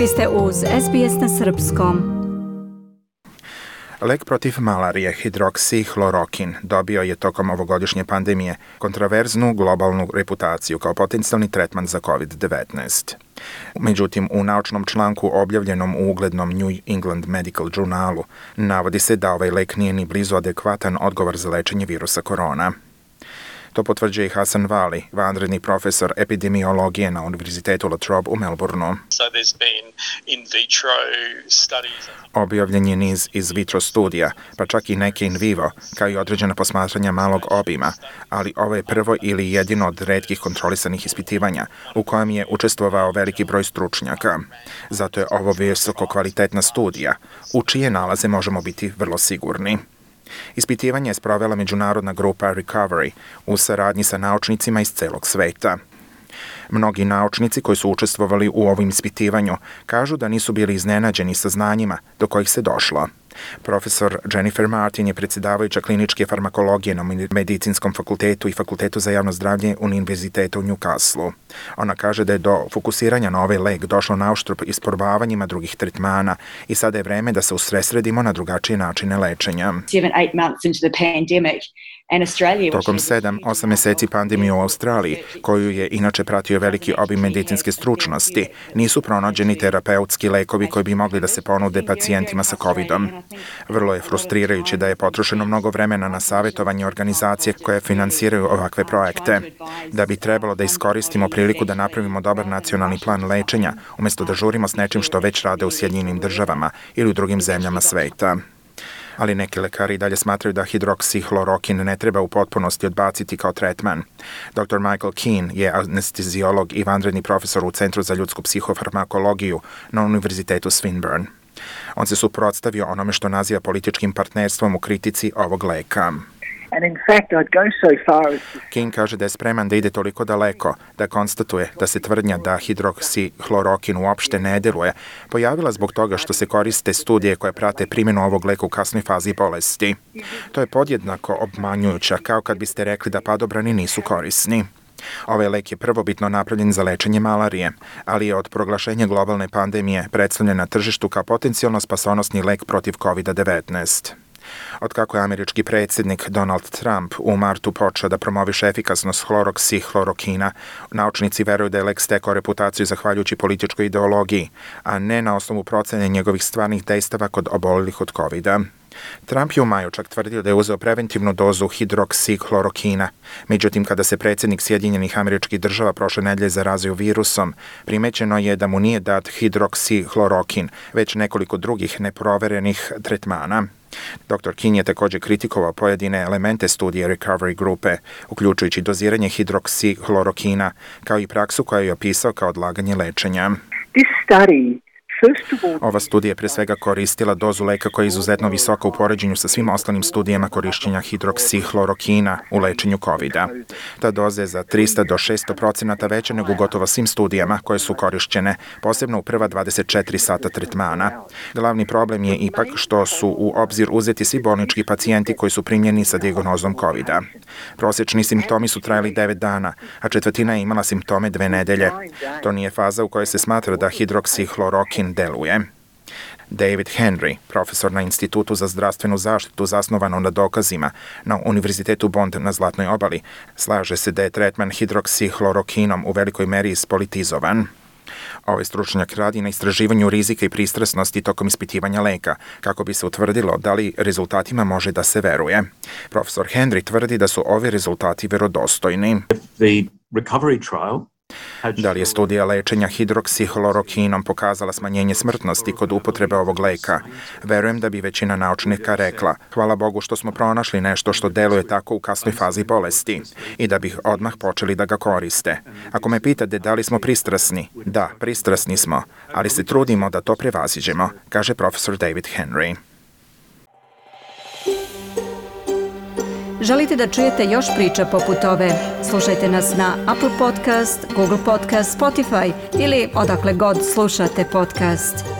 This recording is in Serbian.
Vi ste uz SBS na Srpskom. Lek protiv malarije hidroksihlorokin dobio je tokom ovogodišnje pandemije kontraverznu globalnu reputaciju kao potencijalni tretman za COVID-19. Međutim, u naučnom članku objavljenom u uglednom New England Medical Journalu navodi se da ovaj lek nije ni blizu adekvatan odgovor za lečenje virusa korona. To potvrđuje i Hasan Vali, vanredni profesor epidemiologije na Univerzitetu La Trobe u Melbourneu. Objavljen je niz iz vitro studija, pa čak i neke in vivo, kao i određena posmatranja malog obima, ali ovo je prvo ili jedino od retkih kontrolisanih ispitivanja u kojem je učestvovao veliki broj stručnjaka. Zato je ovo visoko kvalitetna studija, u čije nalaze možemo biti vrlo sigurni. Ispitivanje je sprovela međunarodna grupa Recovery u saradnji sa naučnicima iz celog sveta. Mnogi naučnici koji su učestvovali u ovom ispitivanju kažu da nisu bili iznenađeni sa znanjima do kojih se došlo. Profesor Jennifer Martin je predsjedavajuća kliničke farmakologije na Medicinskom fakultetu i Fakultetu za javno zdravlje Univerziteta u Newcastleu. Ona kaže da je do fokusiranja na ovaj lek došlo nauštrb isprobavanjima drugih tretmana i sada je vreme da se usredsredimo na drugačije načine lečenja. Tokom 7-8 meseci pandemije u Australiji, koju je inače pratio veliki obim medicinske stručnosti, nisu pronađeni terapeutski lekovi koji bi mogli da se ponude pacijentima sa COVID-om. Vrlo je frustrirajuće da je potrošeno mnogo vremena na savjetovanje organizacije koje finansiraju ovakve projekte. Da bi trebalo da iskoristimo priliku da napravimo dobar nacionalni plan lečenja, umjesto da žurimo s nečim što već rade u Sjedinjenim državama ili u drugim zemljama sveta. Ali neki lekari dalje smatraju da hidroksihlorokin ne treba u potpunosti odbaciti kao tretman. Dr. Michael Keane je anesteziolog i vanredni profesor u Centru za ljudsku psihofarmakologiju na Univerzitetu Swinburne. On se suprotstavio onome što naziva političkim partnerstvom u kritici ovog leka. King kaže da je spreman da ide toliko daleko, da konstatuje da se tvrdnja da hidroksihlorokin uopšte ne deluje pojavila zbog toga što se koriste studije koje prate primjenu ovog leka u kasnoj fazi bolesti. To je podjednako obmanjujuće, kao kad biste rekli da padobrani nisu korisni. Ovaj lek je prvobitno napravljen za lečenje malarije, ali je od proglašenja globalne pandemije predstavljen na tržištu kao potencijalno spasonosni lek protiv COVID-19. Otkako je američki predsjednik Donald Trump u martu počeo da promoviše efikasnost hidroksihlorokina, naučnici veruju da je lek stekao reputaciju zahvaljujući političkoj ideologiji, a ne na osnovu procene njegovih stvarnih dejstava kod obolelih od COVID-a. Trump je u maju čak tvrdio da je uzeo preventivnu dozu hidroksihlorokina. Međutim, kada se predsjednik Sjedinjenih Američkih Država prošle nedelje zarazio virusom, primećeno je da mu nije dat hidroksihlorokin, već nekoliko drugih neproverenih tretmana. Dr. King je također kritikovao pojedine elemente studije Recovery grupe, uključujući doziranje hidroksihlorokina, kao i praksu koja je opisao kao odlaganje lečenja. Ova studija je pre svega koristila dozu leka koja je izuzetno visoka u poređenju sa svim ostalim studijama korišćenja hidroksihlorokina u lečenju COVID-a. Ta doza je za 300 do 600% veća nego u gotovo svim studijama koje su korišćene, posebno u prva 24 sata tretmana. Glavni problem je ipak što su u obzir uzeti svi bolnički pacijenti koji su primljeni sa dijagnozom COVID-a. Prosječni simptomi su trajali 9 dana, a četvrtina je imala simptome 2 nedelje. To nije faza u kojoj se smatra da hidroksihlorokin deluje. David Henry, profesor na Institutu za zdravstvenu zaštitu zasnovano na dokazima na Univerzitetu Bond na Zlatnoj obali, slaže se da je tretman hidroksihlorokinom u velikoj meri ispolitizovan. Ovaj stručnjak radi na istraživanju rizika i pristrasnosti tokom ispitivanja leka, kako bi se utvrdilo da li rezultatima može da se veruje. Profesor Henry tvrdi da su ovi rezultati verodostojni. Da li je studija lečenja hidroksihlorokinom pokazala smanjenje smrtnosti kod upotrebe ovog leka? Verujem da bi većina naučnika rekla, hvala Bogu što smo pronašli nešto što deluje tako u kasnoj fazi bolesti i da bi odmah počeli da ga koriste. Ako me pitate da li smo pristrasni, da, pristrasni smo, ali se trudimo da to prevaziđemo, kaže profesor David Henry. Želite da čujete još priča poput ove? Slušajte nas na Apple Podcast, Google Podcast, Spotify ili odakle god slušate podcast.